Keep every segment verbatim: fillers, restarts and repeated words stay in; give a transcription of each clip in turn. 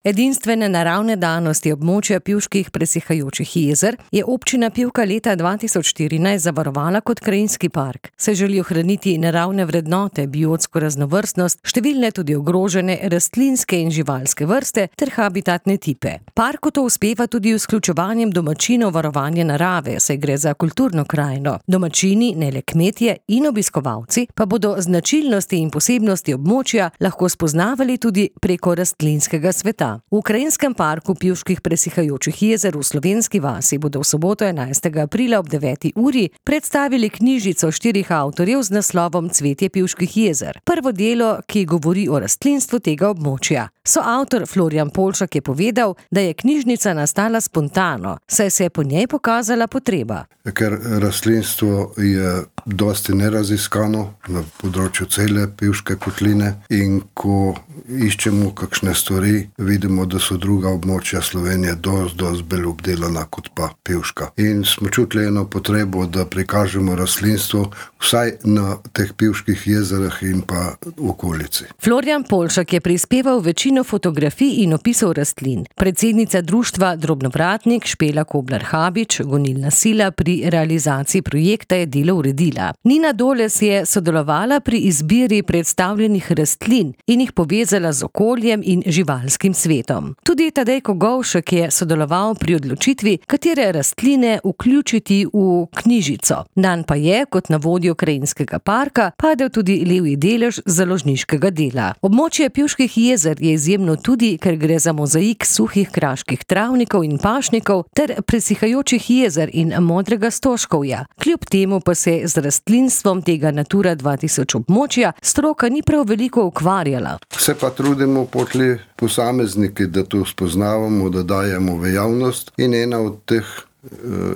Edinstvene naravne danosti območja Pivških presihajočih jezer je občina Pivka leta dva tisoč štirinajst zavarovala kot krajinski park. Se želi ohraniti naravne vrednote, biotsko raznovrstnost, številne tudi ogrožene rastlinske in živalske vrste ter habitatne tipe. Parku to uspeva tudi z vključevanjem domačinov varovanja narave, saj gre za kulturno krajino. Domačini, ne le kmetje in obiskovalci, pa bodo značilnosti in posebnosti območja lahko spoznavali tudi preko rastlinskega sveta. V krajinskem parku Pivških presihajočih jezer v Slovenski vasi bodo v soboto enajstega aprila ob deveti uri predstavili knjižico štirih avtorjev z naslovom Cvetje Pivških jezer. Prvo delo, ki govori o rastlinstvu tega območja. Soavtor Florjan Polšak je povedal, da je knjižnica nastala spontano, saj se je po njej pokazala potreba. Ker rastlinstvo je dosti neraziskano na področju cele Pivške kotline in ko iščemo kakšne stvari, vidimo, da so druga območja Slovenije dosti, dosti bolj obdelana kot pa Pivška. In smo čutili eno potrebo, da prikažemo rastlinstvo vsaj na teh Pivških jezerah in pa okolici. Florjan Polšak je prispeval večino fotografij in opisov rastlin. Predsednica društva Drobnovratnik Špela Koblar-Habič, gonilna sila pri realizaciji projekta, je delo uredila. Nina Doles je sodelovala pri izbiri predstavljenih rastlin in jih povezala z okoljem in živalskim svetom. Tudi Tadej Kogovšek je sodeloval pri odločitvi, katere rastline vključiti v knjižico. Dan pa je, kot na vodjo krajinskega parka, padel tudi levji delež založniškega dela. Območje Pivških jezer je izjemno tudi, ker gre za mozaik suhih kraških travnikov in pašnikov ter presihajočih jezer in modrega stožkovja. Kljub temu pa se z rastlinstvom tega Natura dva tisoč območja stroka ni prav veliko ukvarjala. Se pa trudimo potli posamezniki, da to spoznavamo, da dajemo v javnost, in ena od teh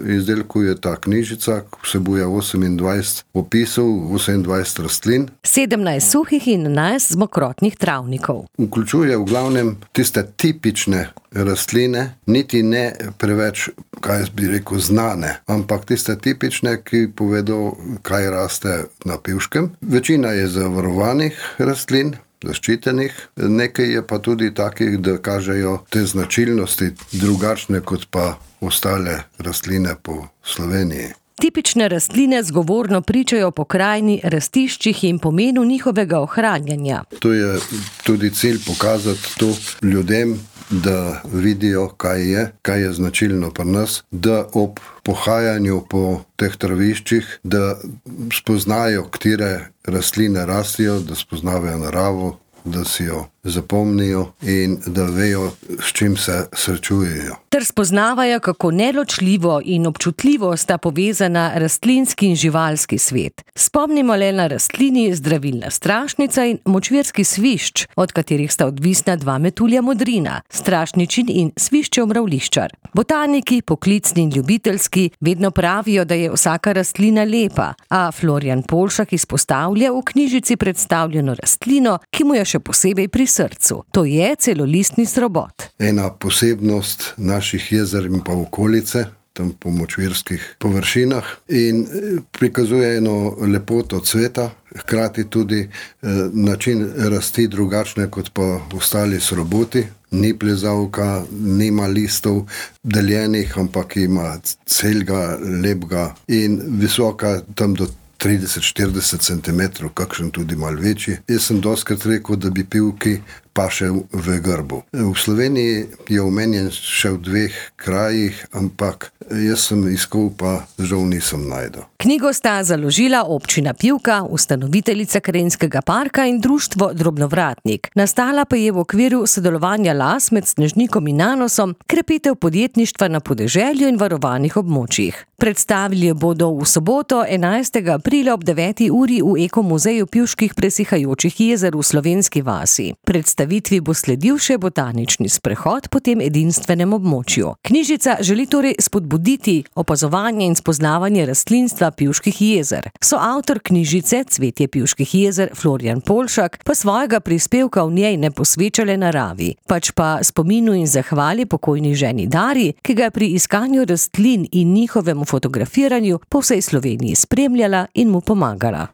izdelkov je ta knjižica, vsebuje osemindvajset opisov, osemindvajset rastlin. sedemnajst suhih in enajst mokrotnih travnikov. Vključuje v glavnem tiste tipične rastline, niti ne preveč, kaj bi rekel, znane, ampak tiste tipične, ki povedo, kaj raste na Pivškem. Večina je zavarovanih rastlin, zaščitenih, nekaj je pa tudi takih, da kažejo te značilnosti drugačne kot pa ostale rastline po Sloveniji. Tipične rastline zgovorno pričajo o pokrajini, rastiščih in pomenu njihovega ohranjanja. To je tudi cilj pokazati to ljudem, da vidijo, kaj je, kaj je značilno pri nas, da ob pohajanju po teh traviščih, da spoznajo, katere rastline rastijo, da spoznavajo naravo, da si jo zapomnijo in da vejo, s čim se srečujejo. Ter spoznavajo, kako neločljivo in občutljivo sta povezana rastlinski in živalski svet. Spomnimo le na rastlini zdravilna strašnica in močvirski svišč, od katerih sta odvisna dva metulja modrina, strašničin in sviščev mravliščar. Botaniki, poklicni in ljubiteljski, vedno pravijo, da je vsaka rastlina lepa, a Florjan Polšak izpostavlja v knjižici predstavljeno rastlino, ki mu je še posebej pri srcu. To je celolistni srobot. Ena posebnost naših jezer in pa okolice, tam po močvirskih površinah, in prikazuje eno lepoto cveta, hkrati tudi eh, način rasti drugačne kot pa ostali sroboti. Ni plezavka, nima listov deljenih, ampak ima celega, lepega in visoka tam do trideset do štirideset centimetrov, kakšen tudi malo večji. Jaz sem dostikrat rekel, da bi Pivki paše v grbu. V Sloveniji je omenjen še v dveh krajih, ampak jaz sem iskal, pa žal nisem najdel. Knjigo sta založila občina Pivka, ustanoviteljica krajinskega parka in društvo Drobnovratnik. Nastala pa je v okviru sodelovanja las med Snežnikom in Nanosom, krepitev podjetništva na podeželju in varovanih območjih. Predstavili bodo v soboto enajstega aprila ob deveti uri v Ekomuzeju Pivških presihajočih jezer v Slovenski vasi. Predstavitvi bo sledil še botanični sprehod po tem edinstvenem območju. Knjižica želi torej spodbuditi opazovanje in spoznavanje rastlinstva Pivških jezer. Soavtor knjižice Cvetje Pivških jezer Florjan Polšak pa svojega prispevka v njej ne posveča le naravi, pač pa spominu in zahvali pokojni ženi Dari, ki ga je pri iskanju rastlin in njihovemu fotografiranju po vsej Sloveniji spremljala in mu pomagala.